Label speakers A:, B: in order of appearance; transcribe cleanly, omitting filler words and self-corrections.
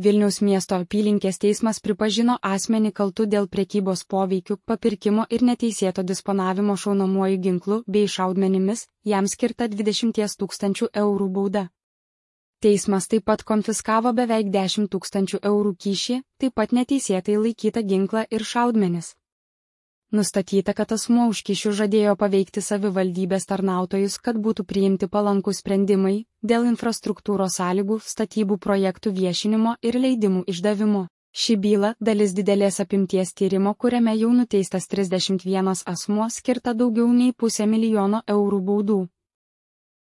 A: Vilniaus miesto apylinkės teismas pripažino asmenį kaltu dėl prekybos poveikiu, papirkimo ir neteisėto disponavimo šaunamuoju ginklu bei šaudmenimis, jam skirta 20 000 eurų bauda. Teismas taip pat konfiskavo beveik 10 000 eurų kyšį, taip pat neteisėtai laikytą ginklą ir šaudmenis. Nustatyta, kad asmuo už kyšių žadėjo paveikti savivaldybės tarnautojus, kad būtų priimti palankūs sprendimai dėl infrastruktūros sąlygų, statybų projektų viešinimo ir leidimų išdavimo. Ši byla dalis didelės apimties tyrimo, kuriame jau nuteistas 31 asmuo, skirta daugiau nei 500 000 eurų baudų.